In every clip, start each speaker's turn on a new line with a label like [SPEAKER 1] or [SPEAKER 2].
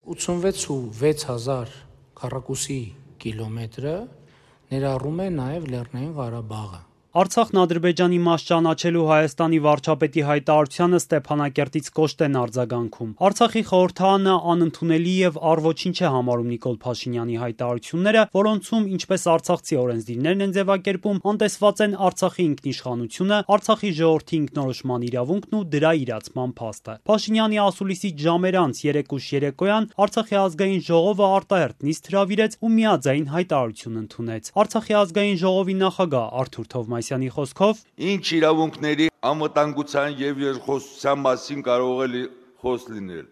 [SPEAKER 1] 86,600 քառակուսի կիլոմետրը ներառում է նաև Լեռնային Ղարաբաղը։
[SPEAKER 2] Արցախն Ադրբեջանի մաս ճանաչելու Հայաստանի վարչապետի հայտարարությանը Ստեփանակերտից կոշտ են արձագանքում։ Արցախի խորհրդարանը անընդունելի եւ առ-ոչինչ է համարում Նիկոլ Փաշինյանի հայտարարությունները, որոնցում ինչպես արցախցի օրենսդիրներն են ձևակերպում, անտեսված են Արցախի ինքնիշխանությունը, Արցախի ժողովրդի ինքնորոշման իրավունքն ու դրա իրացման փաստը։ Փաշինյանի ասուլիսից ժամեր անց 3 ուշ երեկոյան Արցախի ազգային ժողովը արտահերթ նիստ հրավիրեց ու միաձայն հայտարարություն ընդունեց։ Արցախի ազգային ժողովի նախագահ Արթուր Թովմասյանի խոսքով
[SPEAKER 3] ինչ իրավունքների անվտանգության եւ երկխոսության մասին կարող է խոսք լինել,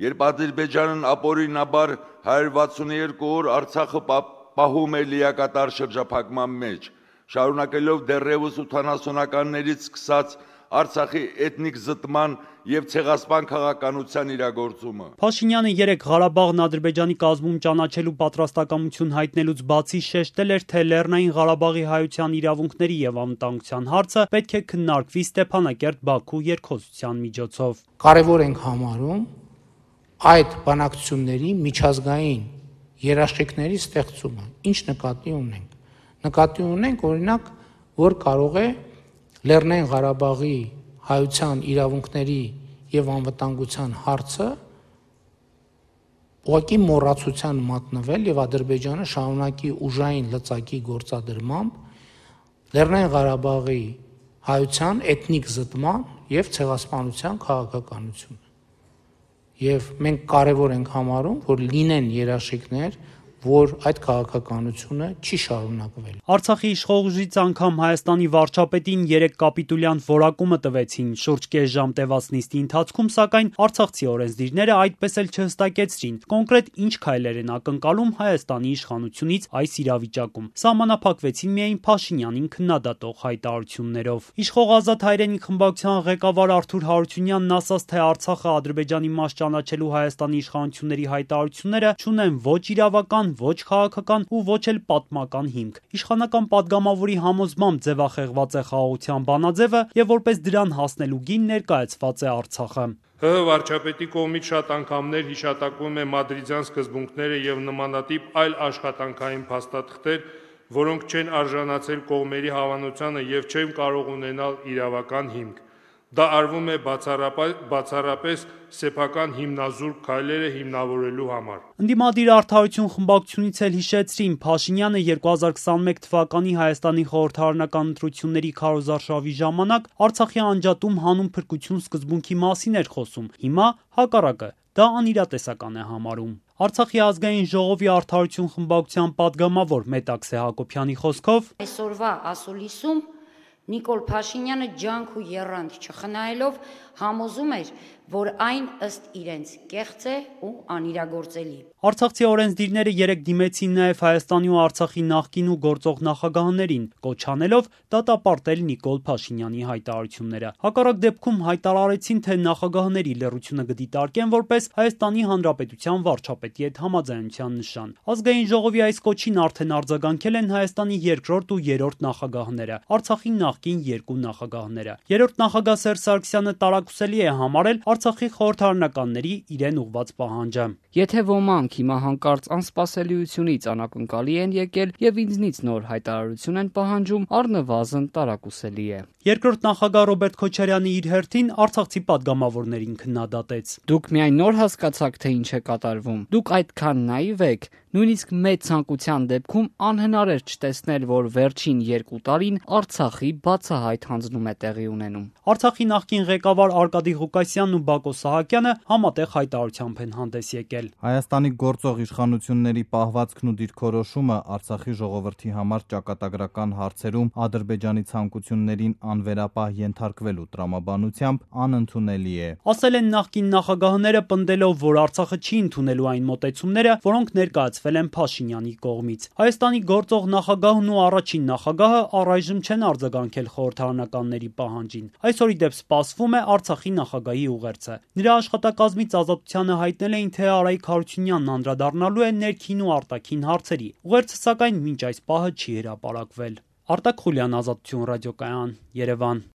[SPEAKER 3] երբ Ադրբեջանն ապօրինաբար 162 օր Արցախը պահում է լիակատար շրջափակման մեջ, շարունակելով դեռևս 80-ականներից սկսած Արցախի էթնիկ զտման եւ ցեղասպան քաղաքականության իրագործումը։
[SPEAKER 2] Փաշինյանը երեք Ղարաբաղն Ադրբեջանի կազմում ճանաչելու պատրաստակամություն հայտնելուց բացի շեշտել էր, թե Լեռնային Ղարաբաղի հայության իրավունքների եւ անվտանգության հարցը պետք է քննարկվի Ստեփանակերտ-Բաքու երկխոսության միջոցով։
[SPEAKER 1] Կարևոր ենք համարում այդ բանակցությունների միջազգային երաշխիքների ստեղծումը։ Ինչ նկատի ունենք։ Նկատի ունենք, օրինակ, որ կարող է Լեռնային Ղարաբաղի հայության իրավունքների եւ անվտանգության հարցը ուղղակի մոռացության մատնվել եւ Ադրբեջանը շարունակի ուժային լծակի գործադրմամբ Լեռնային Ղարաբաղի հայության էթնիկ զտման եւ ցեղասպանության քաղաքականությունը։ Եվ մենք կարևոր ենք համարում, որ լինեն երաշխիքներ, որ այդ քաղաքականությունը չի շարունակվել։
[SPEAKER 2] Արցախի իշխող անգամ Հայաստանի վարչապետին 3 կապիտուլյան որակումը տվեցին շուրջ կես ժամ տևած նիստի ընթացքում, սակայն արցախցի օրենսդիրները այդպես էլ չհստակեցրին կոնկրետ ինչ քայլեր են ակնկալում Հայաստանի իշխանությունից այս իրավիճակում։ Սահմանափակվեցին միայն Փաշինյանին քննադատող հայտարարություններով։ Իշխող Ազատ հայրենիք խմբակցության ղեկավար Արթուր Հարությունյանն ասաց, թե Արցախը Ադրբեջանի մաս ճանաչելու Հայաստանի իշխանությունների հայտարարությունները չունեն ոչ իրավական, ոչ քաղաքական ու ոչ էլ պատմական հիմք։ Իշխանական падգամավորի համոզմամբ ձևախեղված է խաղաղության բանաձևը եւ որպես դրան հասնելու գին ներկայացված է Արցախը։
[SPEAKER 4] ՀՀ վարչապետի կողմից շատ անգամներ հիշատակվում է մադրիդյան սկզբունքները եւ նմանատիպ այլ աշխատանքային փաստաթղթեր, որոնք չեն արժանացել կողմերի հավանությանը եւ չեն կարող ունենալ իրավական հիմք։ Դա արվում է բացառապես սեփական հիմնազուրկ քայլերը հիմնավորելու համար։
[SPEAKER 2] Ընդդիմադիր Արդարություն խմբակցությունից էլ հիշեցրին, Փաշինյանը 2021 թվականի Հայաստանի խորհրդարանական ընտրությունների քարոզարշավի ժամանակ Արցախի անջատում հանուն փրկություն սկզբունքի մասին էր խոսում։ Հիմա հակառակը, դա անիրատեսական է համարում։ Արցախի ազգային ժողովի Արդարություն խմբակցության падգամավոր Մետաքսե Հակոբյանի խոսքով
[SPEAKER 5] այսօրվա ասուլիսում Նիկոլ Փաշինյանը ջանք ու եռանդ չխնայելով համոզում էր, որ այն ըստ իրենց կեղծ է ու անիրագործելի։
[SPEAKER 2] Արցախցի օրենսդիրները երեք դիմեցին նաև Հայաստանի ու Արցախի նախկին ու գործող նախագահներին, կոչ անելով դատապարտել Նիկոլ Փաշինյանի հայտարարությունները։ Հակառակ դեպքում հայտարարեցին, թե նախագահների լռությունը կդիտարկեն որպես Հայաստանի Հանրապետության վարչապետի հետ համաձայնության նշան։ Ազգային ժողովի այս կոչին արդեն արձագանքել են Հայաստանի երկրորդ ու երրորդ նախագահները, Արցախի նախկին 2 նախագահները։ Երրորդ նախագահ Սերժ Սարգսյանը տարակուսելի է համարել Արցախի խորհրդարանականների իրեն ուղված պահանջը։
[SPEAKER 6] Եթե ոմանք հիմա հանկարծ անսպասելիությունից անակնկալի են եկել եւ ինձնից նոր հայտարարություն են պահանջում, առնվազն տարակուսելի է։
[SPEAKER 2] Երկրորդ նախագահ Ռոբերտ Քոչարյանը իր հերթին արցախցի падգամավորներին քննադատեց։
[SPEAKER 6] Դուք միայն նոր հասկացաք, թե ինչ է կատարվում։ Դուք այդքան նաիվ եք, նույնիսկ մեծ ցանկության դեպքում անհնար էր չտեսնել, որ վերջին 2 տարին Արցախի բացահայտ հանձնում է տեղի ունենում։
[SPEAKER 2] Արցախի նախկին ղեկավար Արկադի Ղուկասյանն ու Բակո Սահակյանը համատեղ հայտարարությամբ են հանդես եկել։
[SPEAKER 7] Հայաստանի գործող իշխանությունների պահվածքն ու դիրքորոշումը Արցախի ժողովրդի համար ճակատագրական հարցերում Ադրբեջանի ցանկություններին անվերապահ ենթարկվելու տրամաբանությամբ անընդունելի է։
[SPEAKER 2] Ասել են նախկին նախագահները, պնդելով, որ Արցախը չի ընդունելու այն մոտեցումները, որոնք ներկայացվել են Փաշինյանի կողմից։ Հայաստանի գործող նախագահն ու առաջին նախագահը առայժմ չեն արձագանքել խորհրդարանականների պահանջին։ Այսօր ի դեպ սպասվում է Արցախի նախագահի ուղերձը։ Նրա աշխատակազմից Ազատությանը հայտնել էին, թե Արայիկ Հարությունյանն անդրադառնալու է ներքին ու արտաքին հարցերի։ Ուղերձը սակայն մինչ այս պահը չի հրապարակվել։ Արտակ Խուլյան, Ազատություն ռադիոկայան, Երևան։